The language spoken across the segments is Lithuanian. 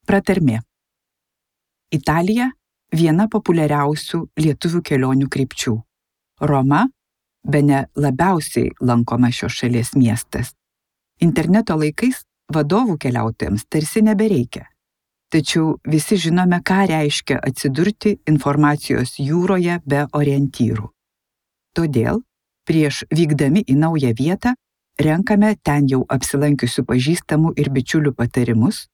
Pratarmė. Italija – viena populiariausių lietuvių kelionių krypčių. Roma – bene labiausiai lankoma šios šalies miestas. Interneto laikais vadovų keliautojams tarsi nebereikia. Tačiau visi žinome, ką reiškia atsidurti informacijos jūroje be orientyrų. Todėl, prieš vykdami į naują vietą, renkame ten jau apsilankiusių pažįstamų ir bičiulių patarimus,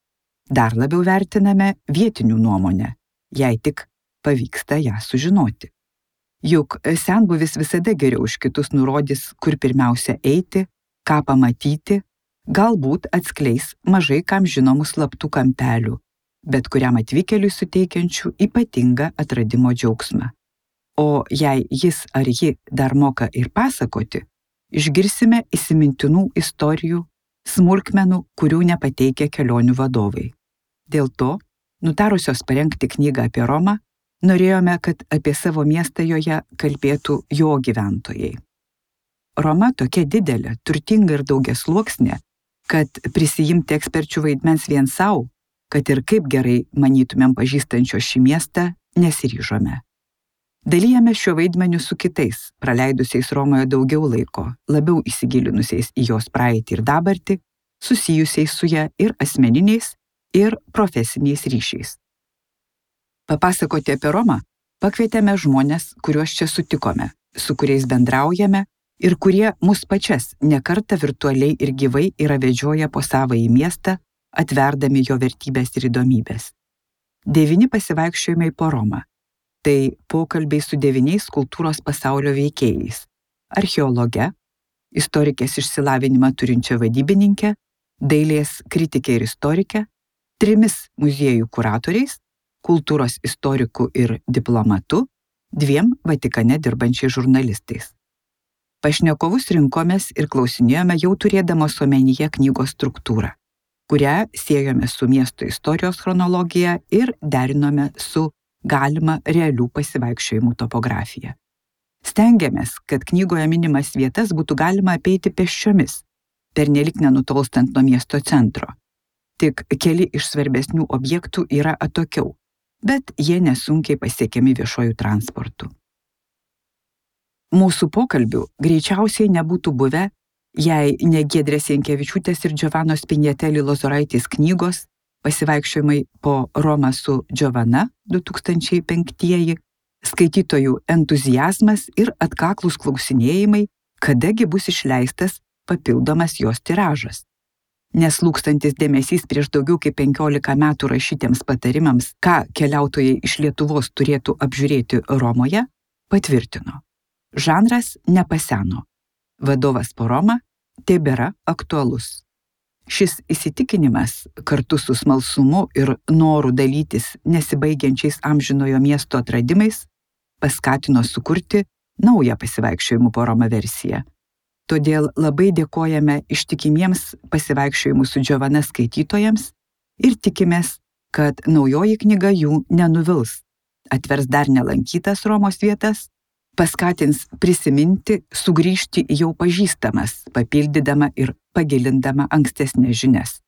dar labiau vertiname vietinių nuomonę, jei tik pavyksta ją sužinoti. Juk senbuvis visada geriau už kitus nurodys, kur pirmiausia eiti, ką pamatyti, galbūt atskleis mažai kam žinomų slaptų kampelių, bet kuriam atvykėliui suteikiančių ypatingą atradimo džiaugsmą. O jei jis ar ji dar moka ir pasakoti, išgirsime įsimintinų istorijų, smulkmenų, kurių nepateikia kelionių vadovai. Dėl to, nutarusios parengti knygą apie Romą, norėjome, kad apie savo miestą joje kalbėtų jo gyventojai. Roma tokia didelė, turtinga ir daugiasluoksnė, kad prisijimti eksperčių vaidmens vien savo, kad ir kaip gerai manytumėm pažįstančio šį miestą, nesiryžome. Dalijame šiuo vaidmeniu su kitais, praleidusiais Romoje daugiau laiko, labiau įsigilinusiais į jos praeitį ir dabartį, susijusiais su ja ir asmeniniais, ir profesiniais ryšiais. Papasakoti apie Romą pakvietėme žmones, kuriuos čia sutikome, su kuriais bendraujame ir kurie mus pačias nekartą virtualiai ir gyvai yra vedžioję po savąjį miestą, atverdami jo vertybės ir įdomybės. 9 pasivaikščiojimai po Romą. Tai pokalbiai su 9 kultūros pasaulio veikėjais – archeologe, istorikės išsilavinimą turinčia vadybininke, dailės kritike ir istorike, 3 muziejų kuratoriais, kultūros istoriku ir diplomatu, 2 Vatikane dirbančiais žurnalistais. Pašnekovus rinkomės ir klausinėjome jau turėdamos omenyje knygos struktūrą, kurią siejome su miesto istorijos chronologija ir derinome su galima realių pasivaikščiojimų topografija. Stengiamės, kad knygoje minimas vietas būtų galima apeiti pėsčiomis, pernelyg nenutolstant nuo miesto centro. Tik keli iš svarbesnių objektų yra atokiau, bet jie nesunkiai pasiekiami viešuoju transportu. Mūsų pokalbių greičiausiai nebūtų buvę, jei ne Giedrės Jankevičiūtės ir Giovannos Pinjetelli Lozoraitės knygos Pasivaikščiojimai po Romą su Giovanna 2005, skaitytojų entuziazmas ir atkaklūs klausinėjimai, kadagi bus išleistas papildomas jos tiražas. Neslūkstantis dėmesys prieš daugiau kaip 15 metų rašytiems patarimams, ką keliautojai iš Lietuvos turėtų apžiūrėti Romoje, patvirtino. Žanras nepaseno. Vadovas po Romą tebėra aktualus. Šis įsitikinimas, kartu su smalsumu ir noru dalytis nesibaigiančiais amžinojo miesto atradimais, paskatino sukurti naują pasivaikščiojimų po Romą versiją. Todėl labai dėkojame ištikimiems pasivaikščiojimų su Giovanna skaitytojams ir tikimės, kad naujoji knyga jų nenuvils, atvers dar nelankytas Romos vietas, paskatins prisiminti, sugrįžti į jau pažįstamas, papildydama ir pagilindama ankstesnės žinias.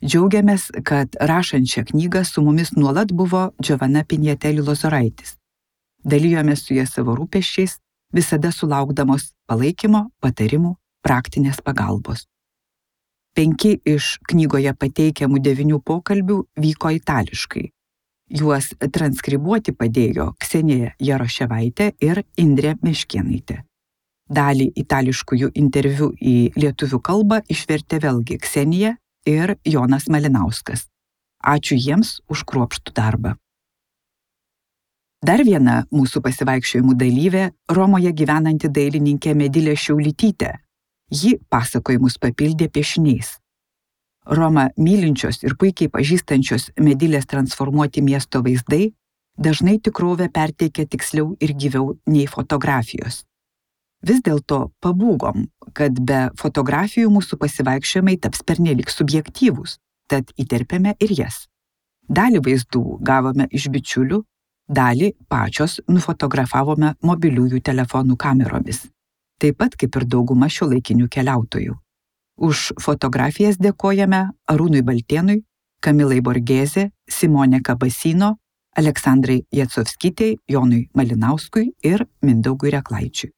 Džiaugiamės, kad rašant šią knygą su mumis nuolat buvo Giovanna Pinjetelli Lozoraitis. Dalijomės su ja savo rūpesčiais, visada sulaukdamos palaikymo, patarimų, praktinės pagalbos. 5 iš knygoje pateikiamų 9 pokalbių vyko itališkai. Juos transkribuoti padėjo Ksenija Jaroševaitė ir Indrė Meškėnaitė. Dalį itališkųjų interviu į lietuvių kalbą išvertė vėlgi Ksenija ir Jonas Malinauskas. Ačiū jiems už kruopštų darbą. Dar viena mūsų pasivaikščiojimų dalyvė Romoje gyvenanti dailininkė Medilė Šiaulytytė. Ji pasakojimus papildė piešiniais. Romą mylinčios ir puikiai pažįstančios Medilės transformuoti miesto vaizdai dažnai tikrovę perteikia tiksliau ir gyviau nei fotografijos. Vis dėlto pabūgom, kad be fotografijų mūsų pasivaikščiojimai taps pernelyg subjektyvūs, tad įterpėme ir jas. Dalį vaizdų gavome iš bičiulių, dalį pačios nufotografavome mobiliųjų telefonų kameromis, taip pat kaip ir dauguma šiuolaikinių keliautojų. Už fotografijas dėkojame Arūnui Baltėnui, Kamilai Borgėzė, Simonė Kabasino, Aleksandrai Jacovskytei, Jonui Malinauskui ir Mindaugui Reklaičiui.